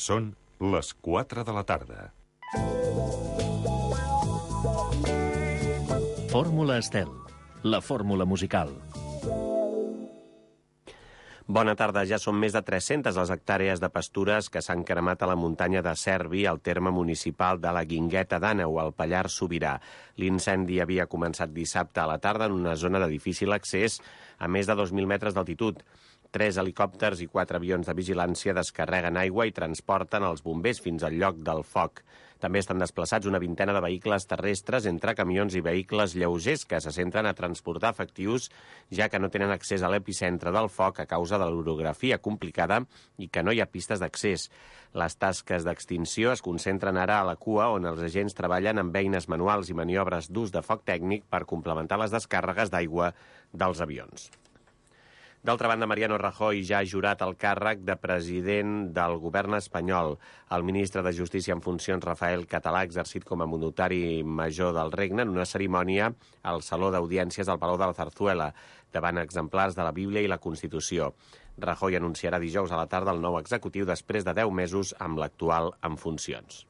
Són les 4 de la tarda. Fórmula Estel, la fórmula musical. Bona tarda. Ja són més de 300 les hectàrees de pastures que s'han cremat a la muntanya de Cervi, al terme municipal de la Guingueta d'Àneu, al Pallars Sobirà. L'incendi havia començat dissabte a la tarda en una zona de difícil accés a més de 2.000 metres d'altitud. 3 helicòpters i 4 avions de vigilància descarreguen aigua i transporten els bombers fins al lloc del foc. També estan desplaçats una vintena de vehicles terrestres entre camions i vehicles lleugers que se centren a transportar efectius, ja que no tenen accés a l'epicentre del foc a causa de l'orografia complicada i que no hi ha pistes d'accés. Les tasques d'extinció es concentren ara a la cua, on els agents treballen amb eines manuals i maniobres d'ús de foc tècnic per complementar les descàrregues d'aigua dels avions. D'altra banda, Mariano Rajoy ja ha jurat el càrrec de president del govern espanyol. El ministre de Justícia en funcions, Rafael Català, ha exercit com a notari major del regne en una cerimònia al Saló d'Audiències del Palau de la Zarzuela, davant exemplars de la Bíblia i la Constitució. Rajoy anunciarà dijous a la tarda el nou executiu després de 10 mesos amb l'actual en funcions.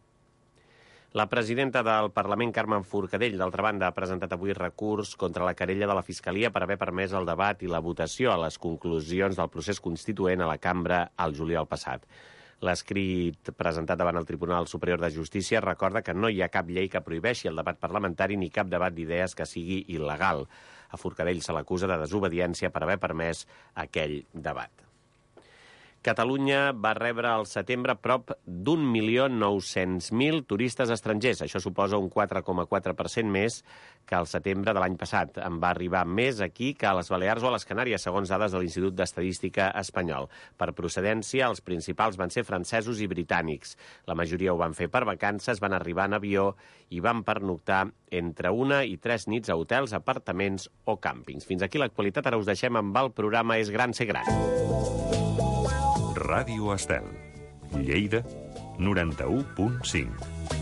La presidenta del Parlament, Carme Forcadell, d'altra banda, ha presentat avui recurs contra la querella de la Fiscalia per haver permès el debat i la votació a les conclusions del procés constituent a la cambra al juliol passat. L'escrit presentat davant el Tribunal Superior de Justícia recorda que no hi ha cap llei que prohibeixi el debat parlamentari ni cap debat d'idees que sigui il·legal. A Forcadell se l'acusa de desobediència per haver permès aquell debat. Catalunya va rebre al setembre prop d'1.900.000 turistes estrangers. Això suposa un 4,4% més que al setembre de l'any passat. En va arribar més aquí que a les Balears o a les Canàries, segons dades de l'Institut d'Estadística espanyol. Per procedència, els principals van ser francesos i britànics. La majoria ho van fer per vacances, van arribar en avió i van pernoctar entre 1 i 3 nits a hotels, apartaments o càmpings. Fins aquí l'actualitat. Ara us deixem amb el programa És gran ser gran. Ràdio Estel, Lleida, 91.5.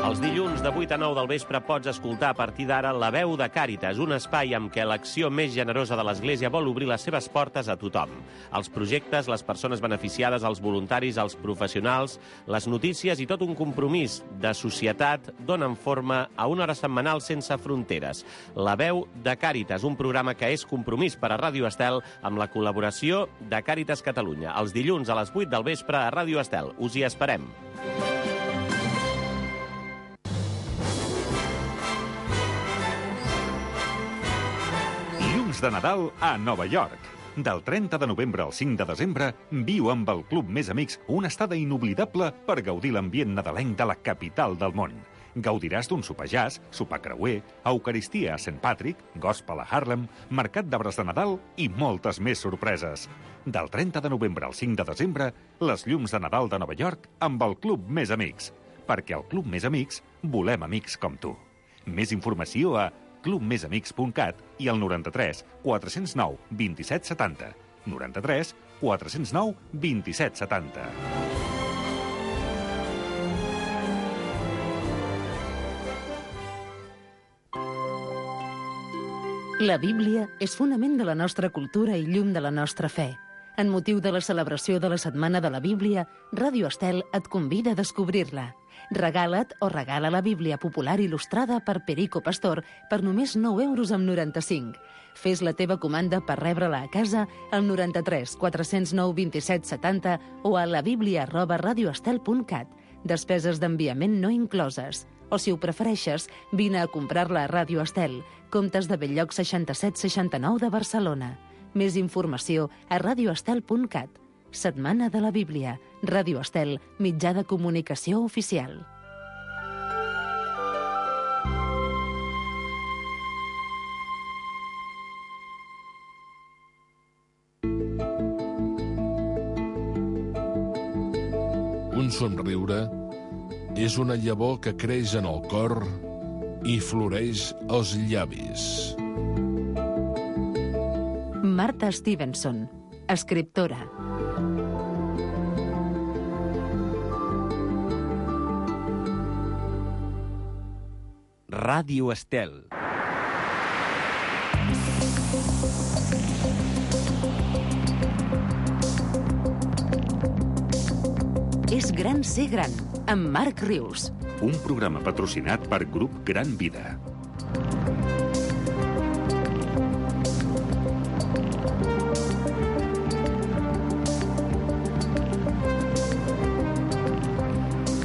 Els dilluns de 8 a 9 del vespre pots escoltar a partir d'ara La Veu de Càritas, un espai amb què l'acció més generosa de l'Església vol obrir les seves portes a tothom. Els projectes, les persones beneficiades, els voluntaris, els professionals, les notícies i tot un compromís de societat donen forma a una hora setmanal sense fronteres. La Veu de Càritas, un programa que és compromís per a Ràdio Estel amb la col·laboració de Càritas Catalunya. Els dilluns a les 8 del vespre a Ràdio Estel. Us hi esperem. De Nadal a Nova York. Del 30 de novembre al 5 de desembre, viu amb el Club Més Amics una estada inoblidable per gaudir l'ambient nadalenc de la capital del món. Gaudiràs d'un sopar jazz, sopar creuer, eucaristia a St. Patrick, gospel a Harlem, mercat d'arbres de Nadal i moltes més sorpreses. Del 30 de novembre al 5 de desembre, les llums de Nadal de Nova York amb el Club Més Amics. Perquè al Club Més Amics volem amics com tu. Més informació a clubmesamics.cat i al 93 409 27 70. 93 409 27 70. La Bíblia és fonament de la nostra cultura i llum de la nostra fe. En motiu de la celebració de la Setmana de la Bíblia, Ràdio Estel et convida a descobrir-la. Regala't o regala la Bíblia popular il·lustrada per Perico Pastor per només 9,95 €. Fes la teva comanda per rebre-la a casa al 93 409 27 70 o a labiblia@radioestel.cat. Despeses d'enviament no incloses. O, si ho prefereixes, vine a comprar-la a Ràdio Estel, Comtes de Belllloc 6769 de Barcelona. Més informació a radioestel.cat. Setmana de la Bíblia. Ràdio Estel, mitjà de comunicació oficial. Un somriure és una llavor que creix en el cor i floreix als llavis. Marta Stevenson, escriptora. Ràdio Estel. És gran ser gran, amb Marc Rius. Un programa patrocinat per Grup Gran Vida.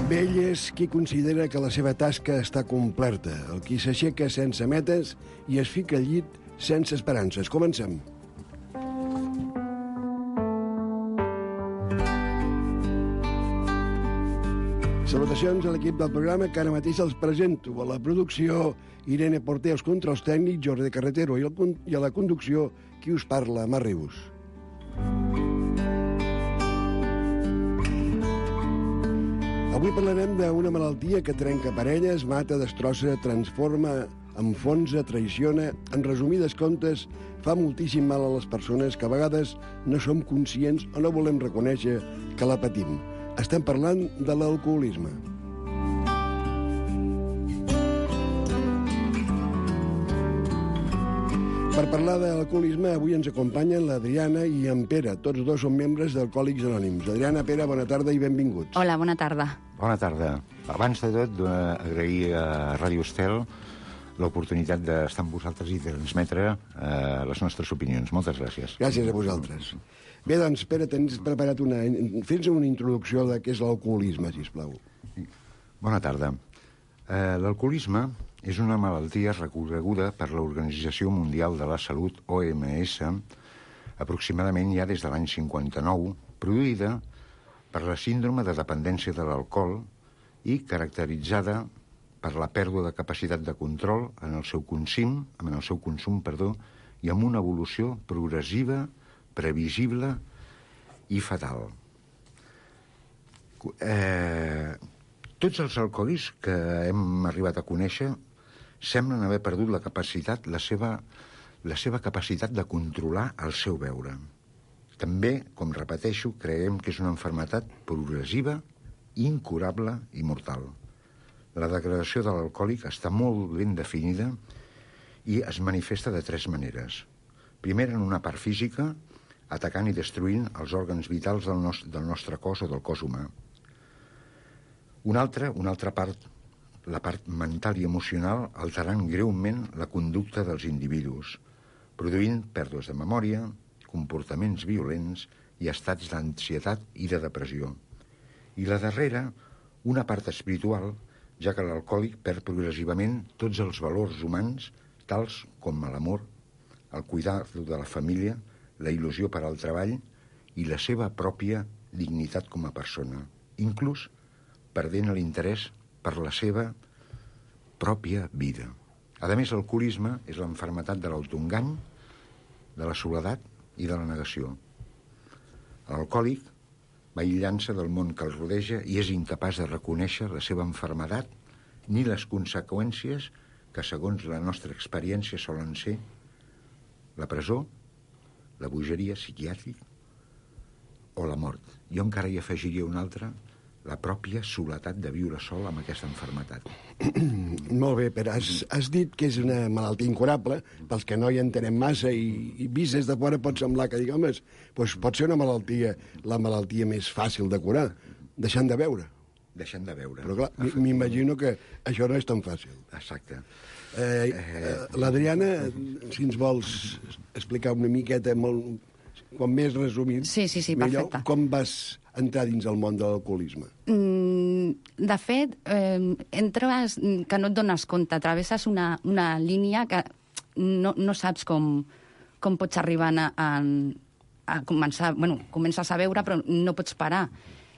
Vell és qui considera que la seva tasca està completa, el qui s'aixeca sense metes i es fica al llit sense esperances. Comencem. Salutacions a l'equip del programa que ara mateix els presento. A la producció, Irene Porter, els controls tècnics, Jordi Carretero, i a la conducció, qui us parla, Marc Rius. Avui parlarem d'una malaltia que trenca parelles, mata, destrossa, transforma, enfonsa, traiciona. En resumides comptes, fa moltíssim mal a les persones que a vegades no som conscients o no volem reconèixer que la patim. Estem parlant de l'alcoholisme. Per parlar de l'alcoholisme, avui ens acompanyen l'Adriana i en Pere. Tots dos són membres d'Alcohòlics Anònims. Adriana, Pere, bona tarda i benvinguts. Hola, bona tarda. Bona tarda. Abans de tot, agrair a Ràdio Estel l'oportunitat d'estar amb vosaltres i transmetre les nostres opinions. Moltes gràcies. Gràcies a vosaltres. Bé, doncs, Pere, tens preparat fes una introducció de què és l'alcoholisme, sisplau. Bona tarda. L'alcoholisme és una malaltia reconeguda per l'Organització Mundial de la Salut, OMS, aproximadament ja des de l'any 59, produïda per la síndrome de dependència de l'alcohol i caracteritzada per la pèrdua de capacitat de control en el seu consum, i amb una evolució progressiva, previsible i fatal. Tots els alcohòlics que hem arribat a conèixer semblen haver perdut la seva capacitat de controlar el seu beure. També, com repeteixo, creiem que és una malaltia progressiva, incurable i mortal. La degradació de l'alcohòlic està molt ben definida i es manifesta de tres maneres. Primer, en una part física, atacant i destruint els òrgans vitals del nostre cos o del cos humà. Una altra part, la part mental i emocional, alterant greument la conducta dels individus, produint pèrdues de memòria, comportaments violents i estats d'ansietat i de depressió. I la darrera, una part espiritual, ja que l'alcohòlic perd progressivament tots els valors humans, tals com l'amor, el cuidar de la família, la il·lusió per al treball i la seva pròpia dignitat com a persona, inclús perdent l'interès per la seva pròpia vida. A més, l'alcoholisme és l'enfermetat de l'autoengany, de la soledat i de la negació. L'alcohòlic va aïllant-se del món que el rodeja i és incapaç de reconèixer la seva malaltia ni les conseqüències que, segons la nostra experiència, solen ser la presó, la bogeria psiquiàtrica o la mort. Jo encara hi afegiria una altra, la pròpia soledat de viure sol amb aquesta malaltia. Molt bé, però has dit que és una malaltia incurable, pels que no hi entenem massa i vist des de fora pot semblar que, diguem, doncs pot ser una malaltia, la malaltia més fàcil de curar, deixant de beure. Deixant de beure. Però clar, m'imagino que això no és tan fàcil. Exacte. L'Adriana, si ens vols explicar una miqueta, com més resumit, sí, millor, perfecte. Com vas entrar dins el món de l'alcoholisme? De fet, entres que no et dones compte, travesses una línia que no saps com pots arribar a començar... Bueno, comences a beure, però no pots parar.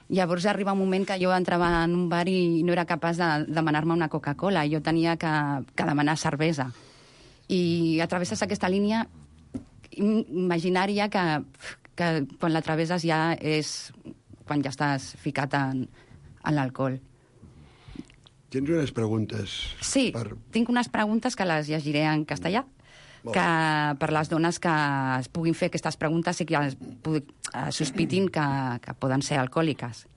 Llavors arriba un moment que jo entrava en un bar i no era capaç de demanar-me una Coca-Cola. Jo tenia que demanar cervesa. I atravesses aquesta línia imaginària que quan la travesses ja és quan ja estàs ficat en l'alcohol. Tens unes preguntes? Sí, tinc unes preguntes que les llegiré en castellà, que per les dones que es puguin fer aquestes preguntes i que sospitin que poden ser alcohólicas.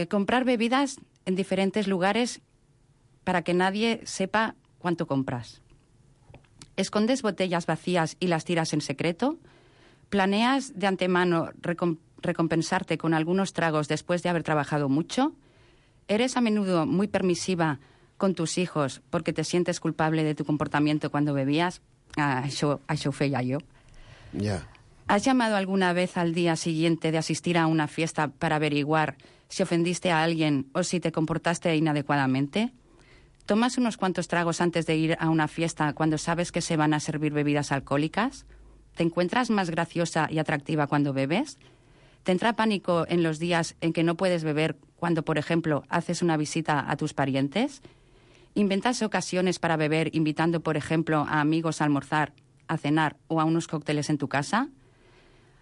Comprar bebidas en diferentes lugares para que nadie sepa cuánto compras. ¿Escondes botellas vacías y las tiras en secreto? ¿Planeas de antemano recompensarte con algunos tragos después de haber trabajado mucho? ¿Eres a menudo muy permisiva con tus hijos porque te sientes culpable de tu comportamiento cuando bebías? Això ho feia jo. Ya. ¿Has llamado alguna vez al día siguiente de asistir a una fiesta para averiguar si ofendiste a alguien o si te comportaste inadecuadamente? ¿Tomas unos cuantos tragos antes de ir a una fiesta cuando sabes que se van a servir bebidas alcohólicas? ¿Te encuentras más graciosa y atractiva cuando bebes? ¿Te entra pánico en los días en que no puedes beber cuando, por ejemplo, haces una visita a tus parientes? ¿Inventas ocasiones para beber invitando, por ejemplo, a amigos a almorzar, a cenar o a unos cócteles en tu casa?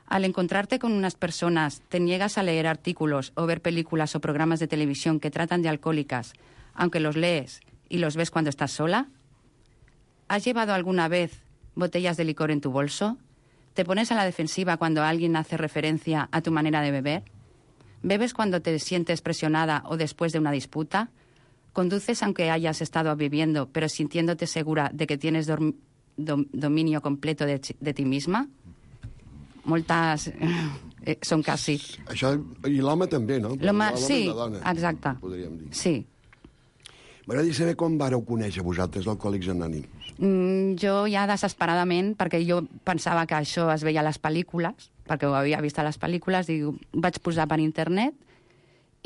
Al encontrarte con unas personas, ¿te niegas a leer artículos o ver películas o programas de televisión que tratan de alcohólicas, aunque los lees y los ves cuando estás sola? ¿Has llevado alguna vez botellas de licor en tu bolso? ¿Te pones a la defensiva cuando alguien hace referencia a tu manera de beber? ¿Bebes cuando te sientes presionada o después de una disputa? ¿Conduces aunque hayas estado bebiendo, pero sintiéndote segura de que tienes dominio completo de ti misma? Moltes són quasi. Això, i l'home també, no? L'home, sí, i la dona, exacte. podríem dir. Sí. M'agradaria saber com vàreu conèixer vosaltres l'Alcohòlics Anònims. Jo ja desesperadament, perquè jo pensava que això es veia a les pel·lícules, perquè ho havia vist a les pel·lícules, i vaig posar per internet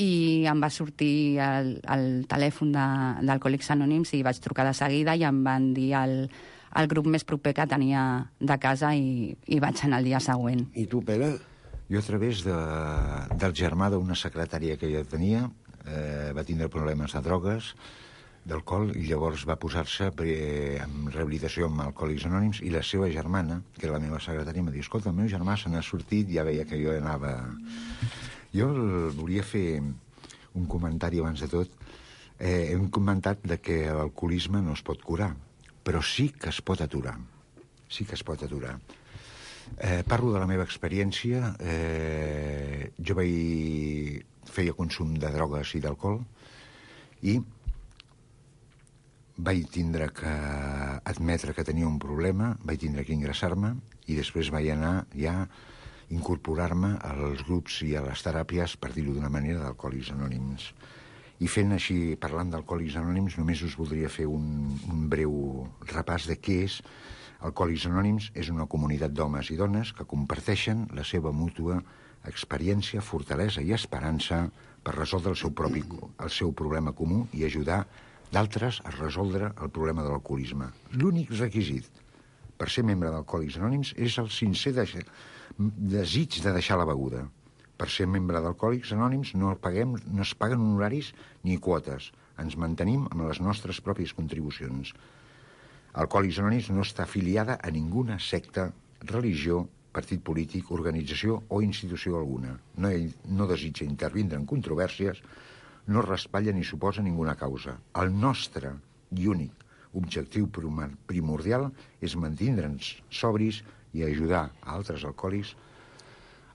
i em va sortir el telèfon d'Alcohòlics Anònims i vaig trucar de seguida i em van dir el grup més proper que tenia de casa i vaig anar el dia següent. I tu, Pere? Jo a través del germà d'una secretària que jo tenia, va tindre problemes de drogues, d'alcohol, i llavors va posar-se en rehabilitació amb Alcohòlics Anònims, i la seva germana, que era la meva secretària, em va dir, escolta, el meu germà se n'ha sortit, ja veia que jo anava... Jo volia fer un comentari abans de tot. Hem comentat que l'alcoholisme no es pot curar, però sí que es pot aturar. Sí que es pot aturar. Parlo de la meva experiència. Jo feia consum de drogues i d'alcohol i vaig tindre que admetre que tenia un problema, vaig tindre que ingressar-me i després vaig anar ja a incorporar-me als grups i a les teràpies, per dir-ho d'una manera, d'Alcohòlics Anònims. I fent així, parlant d'Alcohòlics Anònims, només us voldria fer un breu repàs de què és. Alcohòlics Anònims és una comunitat d'homes i dones que comparteixen la seva mútua experiència, fortalesa i esperança per resoldre el seu problema comú i ajudar d'altres a resoldre el problema de l'alcoholisme. L'únic requisit per ser membre d'Alcohòlics Anònims és el sincer desig de deixar la beguda. Per ser membre d'Alcohòlics Anònims no es paguen honoraris ni quotes. Ens mantenim amb les nostres pròpies contribucions. Alcohòlics Anònims no està afiliada a ninguna secta, religió, partit polític, organització o institució alguna. No desitja intervindre en controvèrsies, no respatlla ni suposa ninguna causa. El nostre i únic objectiu primordial és mantindre'ns sobris i ajudar a altres alcohòlics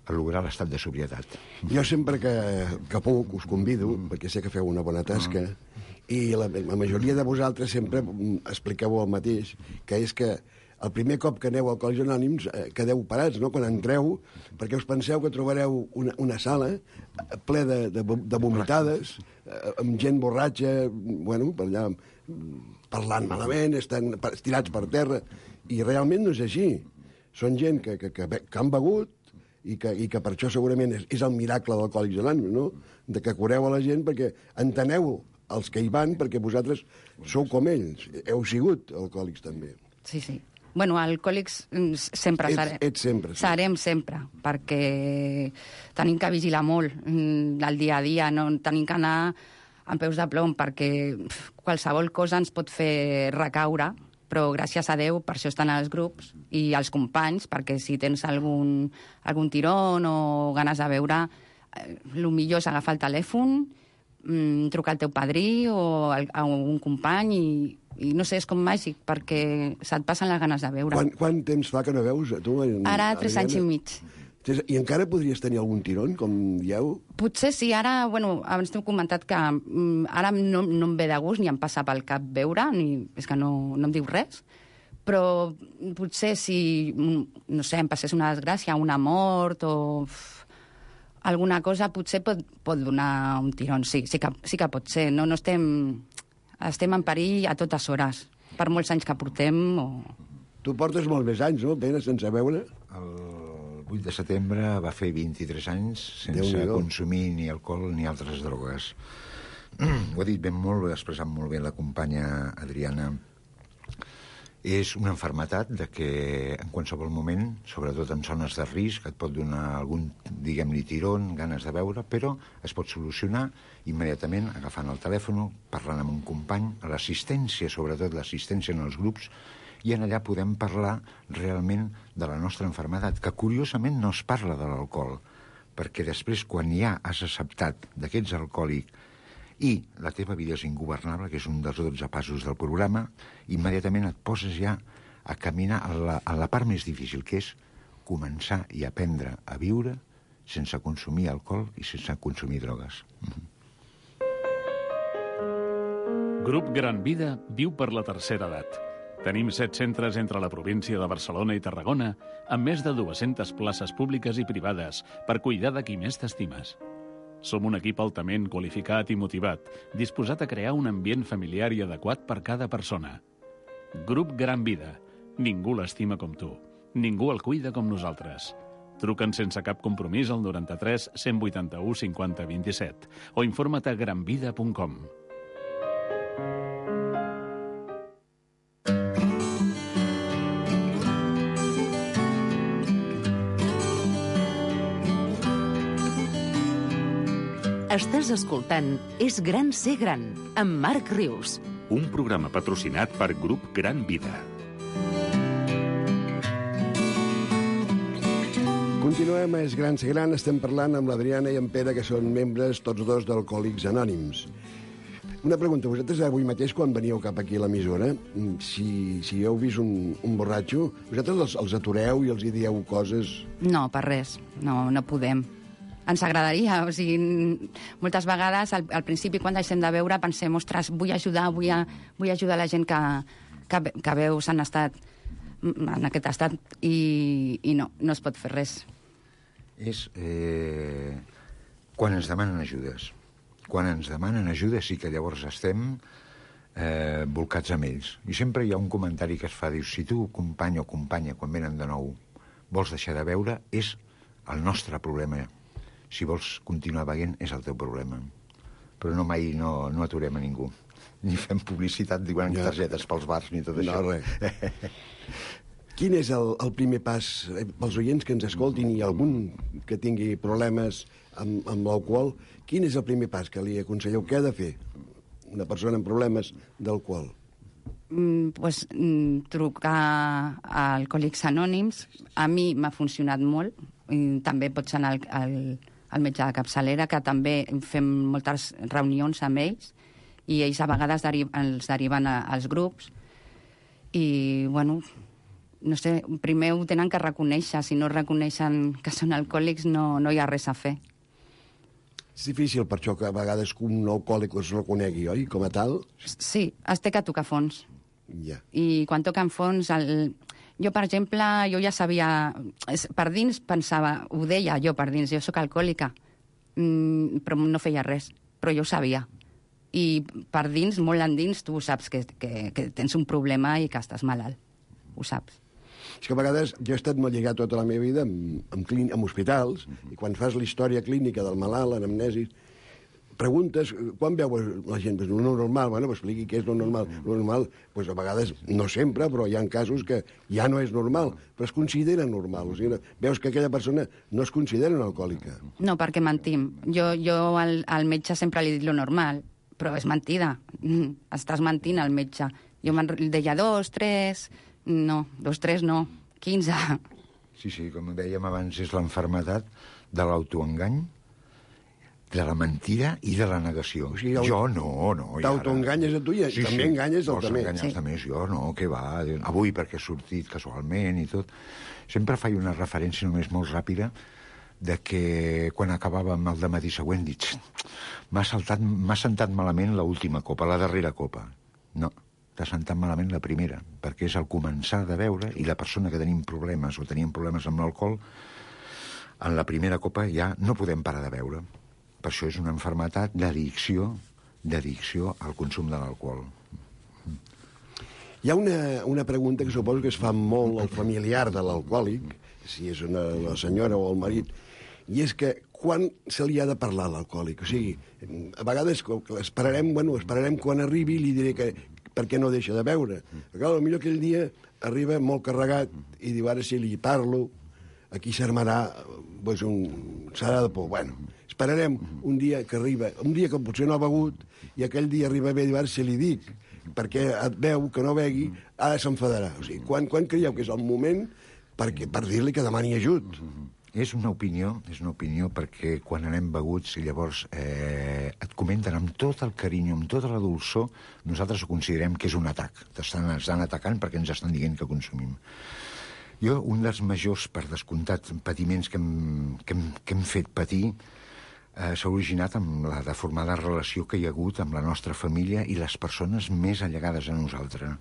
a lograr l'estat de sobrietat. Jo sempre que puc us convido, perquè sé que feu una bona tasca, i la majoria de vosaltres sempre expliqueu el mateix, que és que el primer cop que aneu a Alcohòlics Anònims quedeu parats, no?, quan entreu, perquè us penseu que trobareu una sala ple de vomitades, amb gent borratxa, bueno, per allà parlant malament, estan estirats per terra, i realment no és així. Són gent que han begut i que per això segurament és el miracle d'Alcohòlics Anònims, no?, de que cureu a la gent perquè enteneu els que hi van, perquè vosaltres sou com ells, heu sigut alcohòlics també. Sí, sí. Bueno, alcohòlics sempre serem. Ets sempre. Sí. Serem sempre, perquè tenim que vigilar molt el dia a dia, no tenim que anar amb peus de plom, perquè qualsevol cosa ens pot fer recaure, però gràcies a Déu per això estan els grups i els companys, perquè si tens algun tirón o ganes de beure, el millor és agafar el telèfon, trucar al teu padrí o a un company i no sé, és com màgic, perquè se't passen les ganes de beure. Quant temps fa que no veus, tu? Ara 3 anys i mig. I encara podries tenir algun tirón, com dieu? Potser sí, ara, bueno, abans t'he comentat que ara no em ve de gust ni em passa pel cap beure, és que no em diu res, però potser si, no sé, em passés una desgràcia, una mort o alguna cosa potser pot donar un tirón, sí que pot ser. No estem en perill a totes hores, per molts anys que portem. Tu portes molt més anys, no, Pere, sense beure? El 8 de setembre va fer 23 anys sense consumir ni alcohol ni altres drogues. Ho ha dit ben molt, ho ha expressat molt bé la companya Adriana. És una malaltia de que en qualsevol moment, sobretot en zones de risc, et pot donar algun, diguem-li, tirón, ganes de beure, però es pot solucionar immediatament agafant el telèfon, parlant amb un company, a l'assistència, sobretot l'assistència en els grups, i en allà podem parlar realment de la nostra malaltia, que curiosament no es parla de l'alcohol, perquè després, quan ja has acceptat que ets alcohòlic i la teva vida és ingovernable, que és un dels 12 passos del programa, immediatament et poses ja a caminar a la part més difícil, que és començar i aprendre a viure sense consumir alcohol i sense consumir drogues. Grup Gran Vida viu per la tercera edat. Tenim 7 centres entre la província de Barcelona i Tarragona, amb més de 200 places públiques i privades per cuidar de qui més t'estimes. Som un equip altament qualificat i motivat, disposat a crear un ambient familiar i adequat per cada persona. Grup Gran Vida. Ningú l'estima com tu. Ningú el cuida com nosaltres. Truca'ns sense cap compromís al 93 181 50 27 o informa't a granvida.com. Estàs escoltant És gran ser gran, amb Marc Rius. Un programa patrocinat per Grup Gran Vida. Continuem a És gran ser gran. Estem parlant amb l'Adriana i en Pere, que són membres tots dos d'Alcohòlics Anònims. Una pregunta. Vosaltres avui mateix, quan veníeu cap aquí a l'emissora, si heu vist un borratxo, vosaltres els atureu i els hi dieu coses? No, per res. No podem. Ens agradaria, o sigui, moltes vegades al principi quan deixem de beure pensem, ostres, vull ajudar la gent que veu s'han estat en aquest estat i no es pot fer res. És quan ens demanen ajudes. Quan ens demanen ajuda sí que llavors estem volcats amb ells. I sempre hi ha un comentari que es fa, diu, si tu, company o companya, quan venen de nou, vols deixar de beure, és el nostre problema. Si vols continuar beient, és el teu problema. Però mai no aturem a ningú. Ni fem publicitat, diuen targetes pels bars, ni tot això. No, res. Quin és el primer pas pels oients que ens escoltin i algun que tingui problemes amb l'alcohol? Quin és el primer pas que li aconselleu? Què ha de fer una persona amb problemes d'alcohol? Trucar a Alcohòlics Anònims. A mi m'ha funcionat molt. També pots anar al metge de capçalera, que també fem moltes reunions amb ells, i ells a vegades els deriven als grups. I, bueno, no sé, primer ho tenen que reconèixer. Si no reconeixen que són alcohòlics, no hi ha res a fer. És difícil per això que a vegades un alcohòlic es reconegui, oi, com a tal? Sí, es té que tocar fons. Ja. I quan toquen fons... Jo, per exemple, jo ja sabia... Per dins pensava, ho deia jo per dins, jo sóc alcohòlica, però no feia res, però jo ho sabia. I per dins, molt endins, tu saps que tens un problema i que estàs malalt. Ho saps. És que a vegades jo he estat molt lligat tota la meva vida amb hospitals, i quan fas la història clínica del malalt, l'anamnesi, preguntes, quan veu la gent? Pues, lo normal, bueno, expliqui què és lo normal. Lo normal, pues, a vegades, no sempre, però hi ha casos que ja no és normal, però es considera normal. O sigui, veus que aquella persona no es considera una alcohòlica. No, perquè mentim. Jo al metge sempre li dic lo normal, però és mentida. Estàs mentint al metge. Jo deia 2, 3... No, 2, 3 no, 15. Sí, com dèiem abans, és l'enfermedat de l'autoengany, de la mentida i de la negació. O sigui, jo no. T'autoenganyes a tu i també enganyes el també. Enganyes també, jo no, què va, avui perquè he sortit casualment i tot. Sempre faig una referència només molt ràpida de que quan acabàvem el dematí següent dic, m'ha sentat malament l'última copa, la darrera copa. No, t'ha sentat malament la primera, perquè és el començar de beure i la persona que tenim problemes o tenim problemes amb l'alcohol, en la primera copa ja no podem parar de beure. Per això és una malaltia d'addicció al consum de l'alcohol. Hi ha una pregunta que suposo que es fa molt al familiar de l'alcohòlic, si és la senyora o el marit, i és que quan se li ha de parlar a l'alcohòlic? O sigui, a vegades esperarem quan arribi i li diré que per què no deixa de beure. Perquè potser aquell dia arriba molt carregat i diu, ara si li parlo, aquí s'armarà serà de por. Bueno, esperarem un dia que arriba, un dia que potser no ha begut, i aquell dia arriba bé i diu, ara si li dic, perquè et veu que no begui, ara s'enfadarà. O sigui, quan creieu que és el moment per dir-li que demani ajut? És una opinió perquè quan anem beguts i llavors et comenten amb tot el carinyo, amb tota la dolçor, nosaltres ho considerem que és un atac. Estan atacant perquè ens estan dient que consumim. Jo, un dels majors, per descomptat, patiments que hem fet patir s'ha originat amb la deformada relació que hi ha hagut amb la nostra família i les persones més allegades a nosaltres.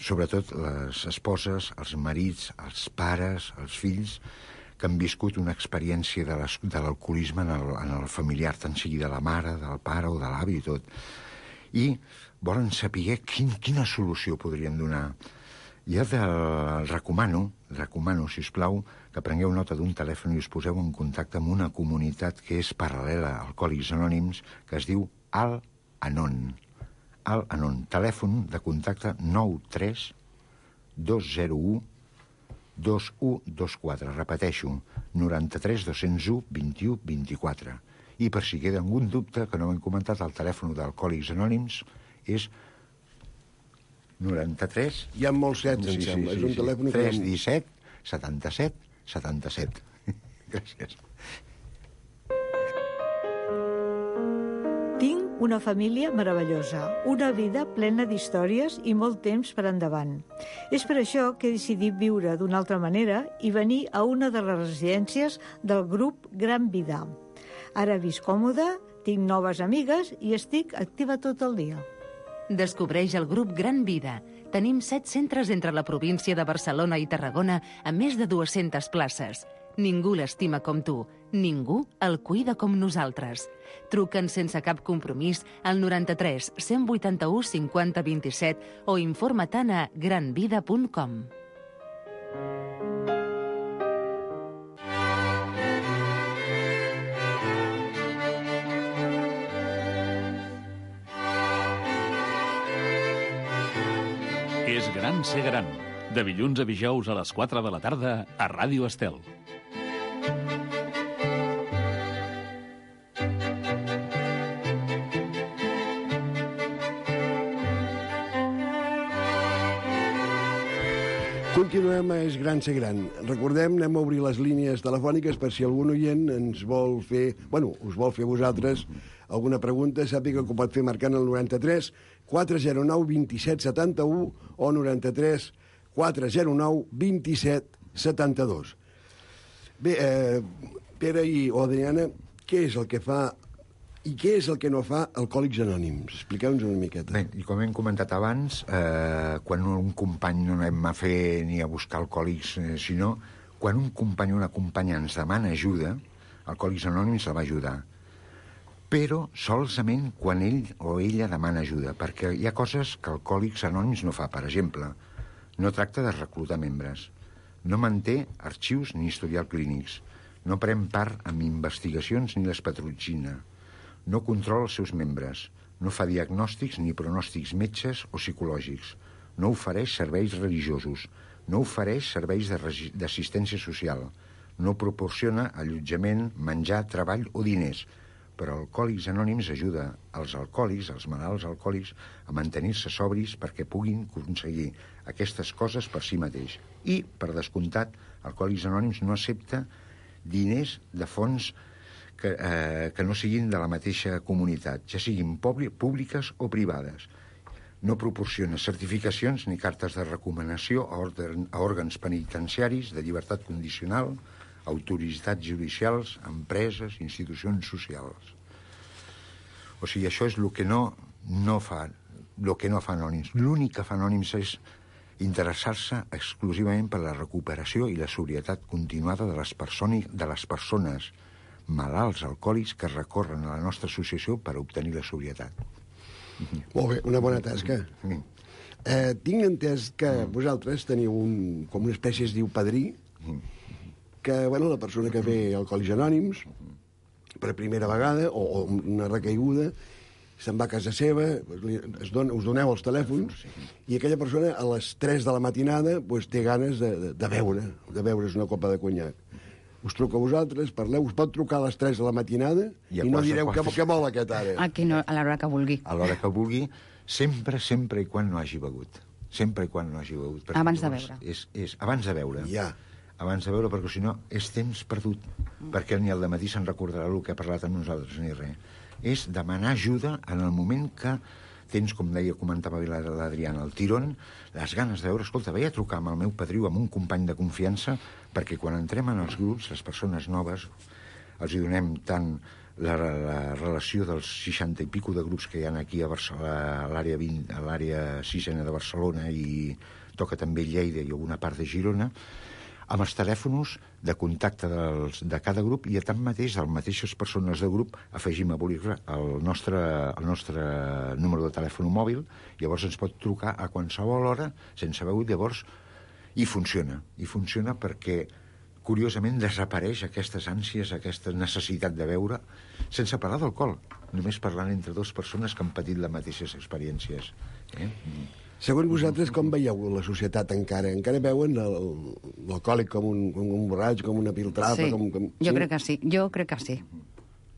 Sobretot les esposes, els marits, els pares, els fills, que han viscut una experiència de l'alcoholisme en el familiar, tant sigui de la mare, del pare o de l'avi i tot. I volen saber quina solució podrien donar. Jo recomano, si us plau, que prengueu nota d'un telèfon i us poseu en contacte amb una comunitat que és paral·lela a Alcohòlics Anònims, que es diu Al-Anon. Al-Anon. Telèfon de contacte 93 201 2124. Repeteixo, 93 201 21 24. I per si queda algun dubte, que no ho hem comentat, el telèfon d'Alcohòlics Anònims és 93... Hi ha molts sets, em sembla. És un telèfon... 317 77 77. Gràcies. Tinc una família meravellosa, una vida plena d'històries i molt temps per endavant. És per això que he decidit viure d'una altra manera i venir a una de les residències del grup Gran Vida. Ara visc còmode, tinc noves amigues i estic activa tot el dia. Descobreix el grup Gran Vida. Tenim 7 centres entre la província de Barcelona i Tarragona amb més de 200 places. Ningú l'estima com tu. Ningú el cuida com nosaltres. Truca'ns sense cap compromís al 93 181 50 27 o informa't a granvida.com. És gran ser gran. De dilluns a dijous a les 4 de la tarda a Ràdio Estel. Continuem a És gran ser gran. Recordem, anem a obrir les línies telefòniques per si algun oient ens vol fer... us vol fer a vosaltres alguna pregunta, sàpiga que ho pot fer marcant el 93 409 27 71 o 93 409 27 72. Bé, Pere o Adriana, què és el que fa i què és el que no fa Alcohòlics Anònims? Expliqueu-nos una miqueta. Bé, i com hem comentat abans, quan un company no anem a fer ni a buscar alcohòlics, sinó quan un company o una companya ens demana ajuda, Alcohòlics Anònims la va ajudar. Però solament quan ell o ella demana ajuda, perquè hi ha coses que Alcohòlics Anònims no fa. Per exemple, no tracta de reclutar membres, no manté arxius ni historial clínics, no pren part en investigacions ni les patrocina, no controla els seus membres, no fa diagnòstics ni pronòstics metges o psicològics, no ofereix serveis religiosos, no ofereix serveis d'assistència social, no proporciona allotjament, menjar, treball o diners, però Alcohòlics Anònims ajuda els alcohòlics, els malalts alcohòlics, a mantenir-se sobris perquè puguin aconseguir aquestes coses per si mateix. I, per descomptat, Alcohòlics Anònims no accepta diners de fonts que no siguin de la mateixa comunitat, ja siguin públiques o privades. No proporciona certificacions ni cartes de recomanació a òrgans penitenciaris de llibertat condicional, autoritats judicials, empreses, institucions socials. O sigui, això és el que no fa Anònims. L'únic que fa Anònims és interessar-se exclusivament per la recuperació i la sobrietat continuada de les persones malalts alcohòlics que recorren a la nostra associació per obtenir la sobrietat. Molt bé, una bona tasca. Tinc entès que vosaltres teniu com una espècie, es diu padrí, que, bueno, la persona que ve a Alcohòlics Anònims, per primera vegada, o una recaiguda, se'n va a casa seva, us doneu els telèfons, i aquella persona a les 3 de la matinada té ganes de beure's una copa de conyac. Us truca a vosaltres, parleu, us pot trucar a les 3 de la matinada i no direu que vol aquest ara. Aquí no, a l'hora que vulgui. A l'hora que vulgui, sempre i quan no hagi begut. Sempre i quan no hagi begut. Abans de beure. És abans de beure. Ja. Abans de beure, perquè si no és temps perdut. Perquè ni al dematí se'n recordarà el que ha parlat amb nosaltres, ni res. És demanar ajuda en el moment que tens, com comentava l'Adriana, el tirón, les ganes de veure, escolta, vaig a trucar amb el meu padrí o amb un company de confiança, perquè quan entrem en els grups, les persones noves, els hi donem tant la relació dels 60 i pico de grups que hi ha aquí a l'àrea 6ena de Barcelona, i toca també Lleida i alguna part de Girona, amb els telèfons de contacte de cada grup, i tanmateix de les mateixes persones del grup afegim a bolígraf el nostre número de telèfon mòbil, llavors ens pot trucar a qualsevol hora sense begut, llavors i funciona perquè curiosament desapareix aquestes ànsies, aquesta necessitat de beure, sense parlar d'alcohol, només parlant entre dues persones que han patit les mateixes experiències. Segons vosaltres, com veieu la societat encara? Encara veuen l'alcohòlic com un borratx, com una piltrapa? Sí, jo crec que sí.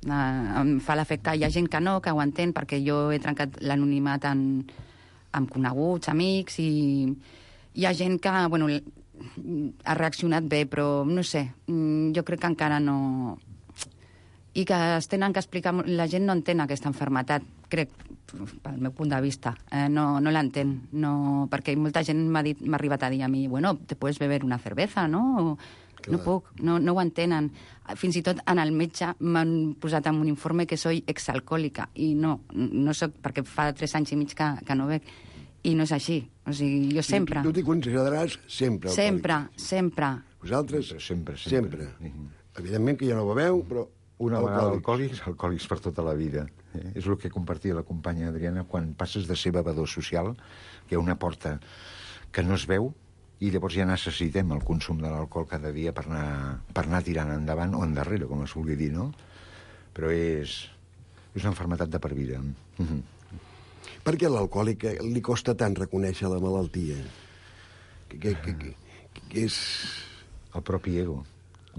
Em fa l'efecte. Hi ha gent que no, que ho entén, perquè jo he trencat l'anonimat amb coneguts, amics, i hi ha gent que, bueno, ha reaccionat bé, però no sé, jo crec que encara no... I que es tenen que explicar... La gent no entén aquesta malaltia, crec, pel meu punt de vista. No l'entén, perquè molta gent m'ha arribat a dir a mi, bueno, te puedes beber una cerveza, no? Clar. No puc, no ho entenen. Fins i tot en el metge m'han posat en un informe que soy exalcohòlica, i no soc, perquè fa 3 anys i mig que no bec, i no és així. O sigui, jo sempre... Tu t'hi consideraràs sempre alcohòlic? Sempre. Vosaltres? Sempre. Evidentment que ja no beveu, però... Una vegada alcohòlics per tota la vida. És el que compartia la companya Adriana, quan passes de ser bevedor social, que hi ha una porta que no es veu, i llavors ja necessitem el consum de l'alcohol cada dia per anar tirant endavant o endarrere, com es vulgui dir, no? Però és una malaltia de per vida. Per què a l'alcohòlic li costa tant reconèixer la malaltia? Que és... El propi ego.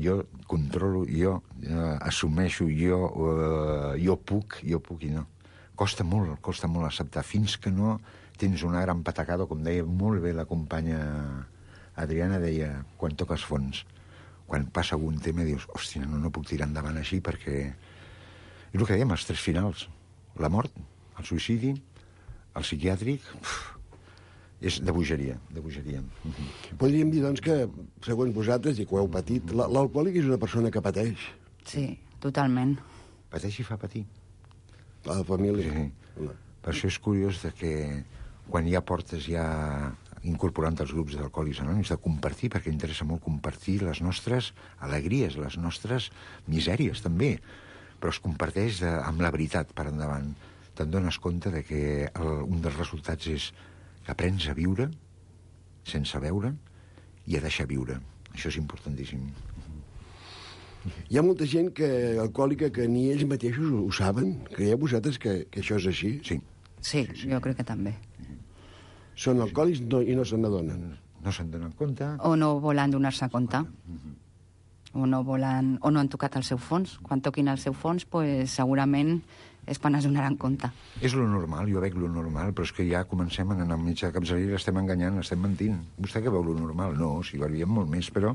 Jo controlo, jo assumeixo, jo puc i no. Costa molt acceptar, fins que no tens una gran patacada, com deia molt bé la companya Adriana, deia, quan toques fons, quan passa algun tema, dius, hòstia, no puc tirar endavant així, perquè és el que dèiem, els 3 finals, la mort, el suïcidi, el psiquiàtric... És de bogeria. Podríem dir, doncs, que, segons vosaltres, i que ho heu patit, l'alcohòlic és una persona que pateix. Sí, totalment. Pateix i fa patir. La família. Sí. Per això és curiós que quan hi ha portes ja incorporant els grups d'alcohòlics anònims, de compartir, perquè interessa molt compartir les nostres alegries, les nostres misèries, també. Però es comparteix amb la veritat per endavant. Te'n dones compte que un dels resultats és que aprens a viure sense beure i a deixar viure. Això és importantíssim. Hi ha molta gent alcohòlica que ni ells mateixos ho saben. Creieu vosaltres que això és així? Sí, jo crec que també. Són alcohòlics i no se n'adonen. No se'n donen compte. O no volen donar-se compte. O no han tocat el seu fons. Quan toquin el seu fons, segurament és quan es donaran compte. És lo normal, jo veig lo normal, però és que ja comencem a anar al metge de capçalera, l'estem enganyant, l'estem mentint. Vostè que veu lo normal? No, si beviem molt més, però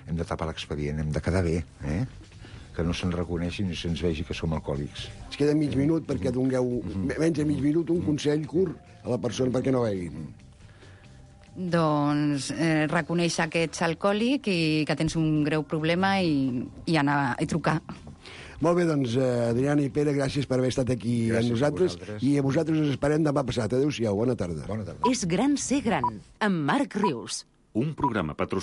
hem de tapar l'expedient, hem de quedar bé, que no se'n reconeixi ni se'ns vegi que som alcohòlics. Ens queda mig minut perquè dongueu, menys de mig minut, un consell curt a la persona perquè no beguin. Doncs reconèixer que ets alcohòlic i que tens un greu problema i anar i trucar. Molt bé, doncs, Adriana i Pere, gràcies per haver estat aquí amb nosaltres. I a vosaltres us esperem demà passat. Adéu-siau, bona tarda. És gran ser gran, amb Marc Rius. Un programa patrocinat